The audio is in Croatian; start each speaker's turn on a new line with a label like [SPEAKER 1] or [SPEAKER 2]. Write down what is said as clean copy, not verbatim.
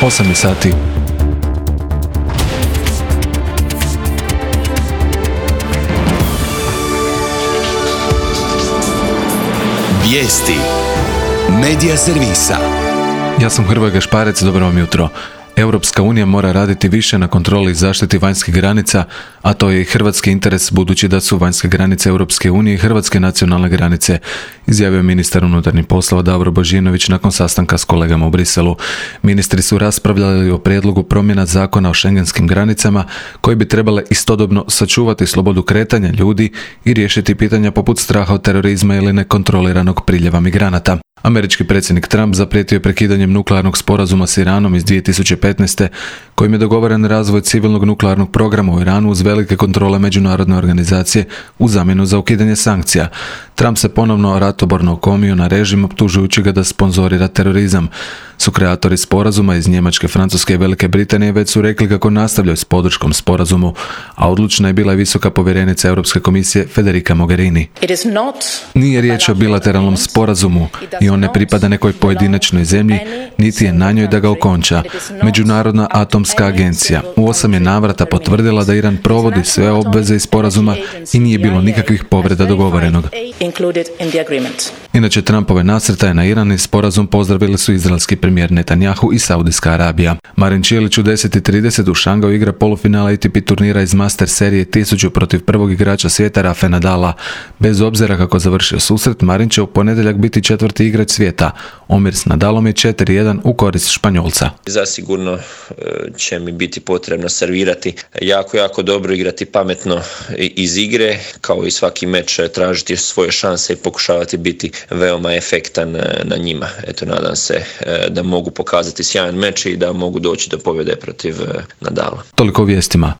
[SPEAKER 1] 8 je sati.
[SPEAKER 2] Vijesti Medija servisa.
[SPEAKER 1] Ja sam Hrvoje Gašparec, dobro vam jutro. Europska unija mora raditi više na kontroli i zaštiti vanjskih granica, a to je i hrvatski interes budući da su vanjske granice Europske unije i hrvatske nacionalne granice, izjavio ministar unutarnjih poslova Davor Božinović nakon sastanka s kolegama u Briselu. Ministri su raspravljali o prijedlogu promjena zakona o šengenskim granicama koji bi trebale istodobno sačuvati slobodu kretanja ljudi i riješiti pitanja poput straha od terorizma ili nekontroliranog priljeva migranata. Američki predsjednik Trump zaprijetio je prekidanjem nuklearnog sporazuma s Iranom iz 2015. kojim je dogovoren razvoj civilnog nuklearnog programa u Iranu uz velike kontrole međunarodne organizacije u zamjenu za ukidanje sankcija. Trump se ponovno ratoborno okomio na režim optužujući ga da sponzorira terorizam. Sukreatori sporazuma iz Njemačke, Francuske i Velike Britanije već su rekli kako nastavljaju s podrškom sporazumu, a odlučna je bila i visoka povjerenica Europske komisije Federica Mogherini. Nije riječ o bilateralnom sporazumu i on ne pripada nekoj pojedinačnoj zemlji, niti je na njoj da ga okonča. Međunarodna atomska agencija u 8 je navrata potvrdila da Iran provodi sve obveze iz sporazuma i nije bilo nikakvih povreda dogovorenog. Inače, Trumpove nasrtaje na Iran i sporazum pozdravili su izraelski premijer Netanjahu i Saudijska Arabija. Marin Čilić u 10:30 u Šangaju igra polufinala ATP turnira iz Master serije 1000 protiv prvog igrača svijeta Rafa Nadala. Bez obzira kako završio susret, Marin će u ponedjeljak biti četvrti igrač svijeta. Omjer s Nadalom je 4:1 u korist Španjolca.
[SPEAKER 3] Zasigurno će mi biti potrebno servirati jako dobro, igrati pametno iz igre, kao i svaki meč tražiti svoje šanse i pokušavati biti veoma efektan na njima. Eto, nadam se da mogu pokazati sjajan meč i da mogu doći do pobjede protiv Nadala.
[SPEAKER 1] Toliko o vijestima.